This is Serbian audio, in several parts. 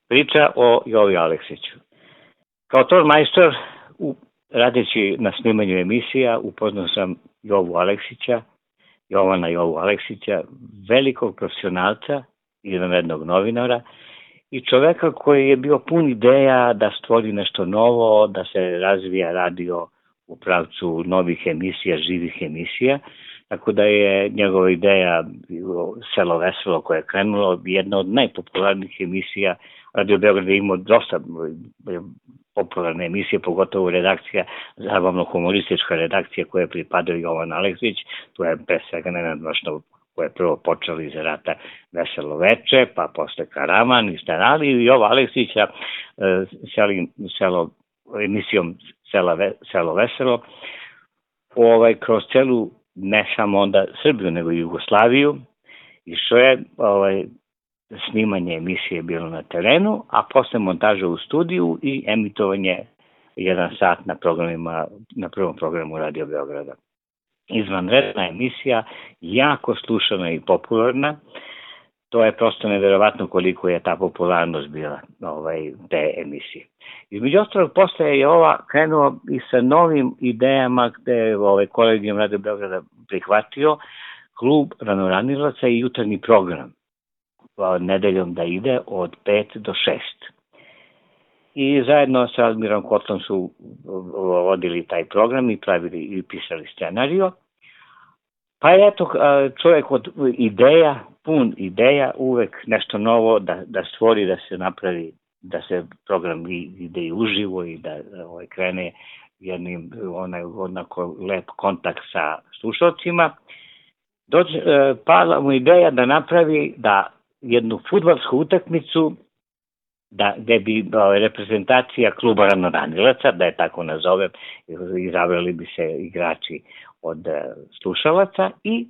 Priča o Jovi Aleksiću. Kao ton majstor, radeći na snimanju emisija, upoznao sam Jovana Jovu Aleksića, velikog profesionalca, izvanrednog novinara i čoveka koji je bio pun ideja da stvori nešto novo, da se razvija radio u pravcu novih emisija, živih emisija, tako da je njegova ideja Selo veselo koje je krenulo, jedna od najpopularnijih emisija. Radio Beograd je imao dosta popularne emisije, pogotovo redakcija, zabavno-humoristička redakcija koja pripadao Jovan Aleksić, tu je pre svega nenadmašno koje je prvo počelo iz rata Veselo veče, pa posle Karaman i Stanali i Jova Aleksića emisijom Selo veselo, kroz celu, ne samo onda Srbiju, nego i Jugoslaviju, išao je snimanje emisije bilo na terenu, a posle montaža u studiju i emitovanje 1 sat na prvom programu Radio Beograda. Izvanredna emisija, jako slušana i popularna. To je prosto neverovatno koliko je ta popularnost bila te emisije. Između ostalog, posle je ova krenuo i sa novim idejama gde je kolegijum Radio Beograda prihvatio klub ranoranilaca i jutarnji program nedeljom da ide od 5 do 6. I zajedno sa Admirom Kotlom su vodili taj program i pravili i pisali scenario. Pa je eto čovjek od ideja, pun ideja, uvek nešto novo da stvori, da se napravi, da se program ide i uživo i da krene jednim onako lep kontakt sa slušalcima. Pala mu ideja da napravi jednu fudbalsku utakmicu gde bi reprezentacija kluba ranoranilaca, da je tako nazovem, izabrali bi se igrači od slušalaca i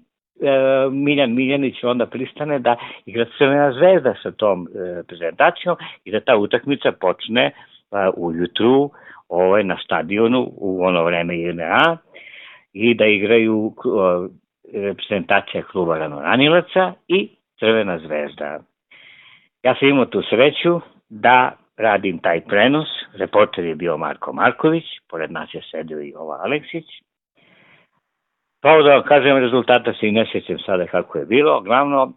Miljan Miljanić onda pristane da igra Crvena zvezda sa tom reprezentacijom i da ta utakmica počne ujutru na stadionu u ono vreme JNA i da igraju reprezentacija kluba ranoranilaca i Crvena zvezda. Ja sam imao tu sreću da radim taj prenos. Reporter je bio Marko Marković, pored nas je sedio i Jova Aleksić. Pa da vam kažem, rezultata se i ne sjećam sada kako je bilo. Glavno,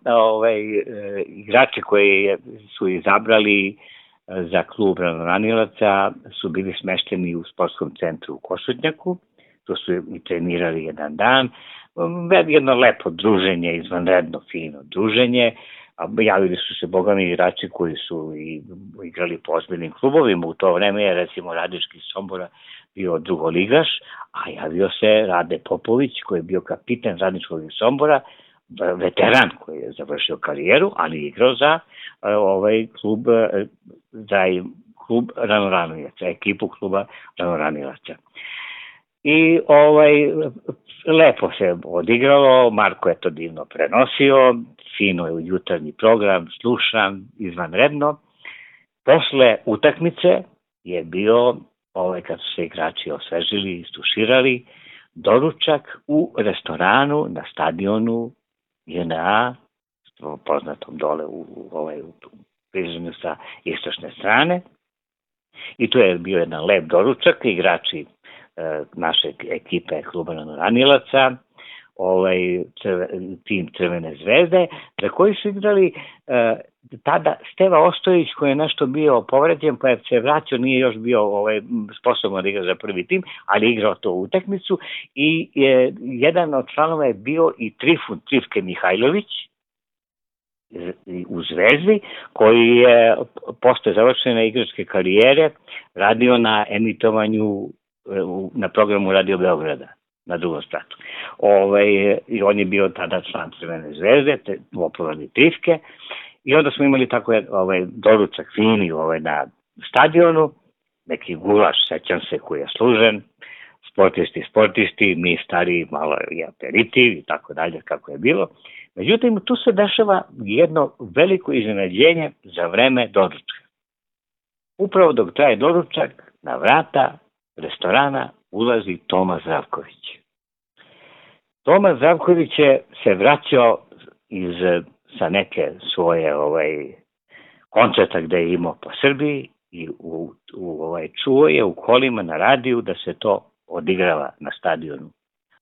igrači koji su izabrali za klub ranoranilaca su bili smešteni u sportskom centru u Košutnjaku. Tu su i trenirali jedan dan. Jedno lepo druženje, izvanredno fino druženje. Javili su se bogami igrači koji su igrali po ozbiljnim klubovima. U to vreme je recimo Radički Sombora bio drugoligaš, a javio se Rade Popović koji je bio kapitan Radničkog Sombora, veteran koji je završio karijeru, ali igrao za klub ranoranilaca, ekipu kluba ranoranilaca. I lepo se odigralo, Marko je to divno prenosio, fino je u jutarnji program, slušan, izvanredno. Posle utakmice je bio, kad su se igrači osvežili i stuširali, doručak u restoranu na stadionu JNA, poznatom dole u prižanju sa istočne strane. I tu je bio jedan lep doručak, igrači naše ekipe kluba ranoranilaca, tim Crvene zvezde, za koji su igrali tada Steva Ostojić koji je nešto bio povređen, pa je se vraćao, nije još bio sposoban da igra za prvi tim, ali igrao to utakmicu i jedan od članova je bio i Trifke Mihajlović u Zvezdi, koji je posle završene igračke karijere radio na emitovanju na programu Radio Beograda na drugom spratu. I on je bio tada član Crvene zvezde, popularni Trifke, i onda smo imali tako doručak fini na stadionu, neki gulaš, sećam se, koji je služen, sportisti, mi stari, malo i aperitiv i tako dalje, kako je bilo. Međutim, tu se dešava jedno veliko iznenađenje za vreme doručka. Upravo dok traje doručak, na vrata restorana ulazi Toma Zdravković. Toma Zdravković je se vraćao sa neke svoje koncerta gde je imao po Srbiji i čuo je u kolima na radiju da se to odigrava na stadionu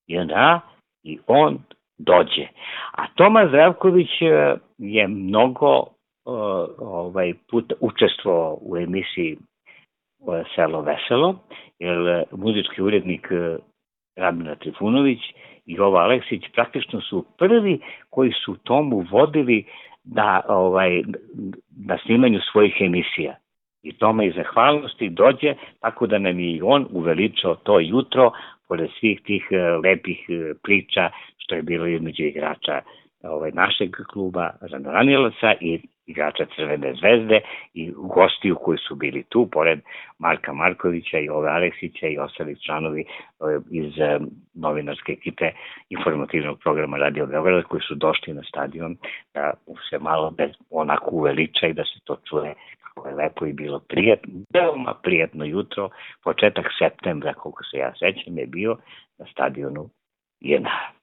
JNA i on dođe. A Toma Zdravković je mnogo puta učestvovao u emisiji Selo veselo, jer muzički urednik Rabina Trifunović i Jovo Aleksić praktično su prvi koji su Tomu vodili na snimanju svojih emisija. I Toma iz zahvalnosti dođe, tako da nam je i on uveličao to jutro, pored svih tih lepih priča što je bilo između igrača našeg kluba Ranoranilaca i igrača Crvene zvezde i gostiju koji su bili tu, pored Marka Markovića i Jove Aleksića i ostalih članovi iz novinarske ekipe informativnog programa Radio Beograd koji su došli na stadion da se malo onako uveliča i da se to čuje kako je lepo i bilo prijatno, veoma prijatno jutro, početak septembra, koliko se ja sećam, je bio na stadionu JNA.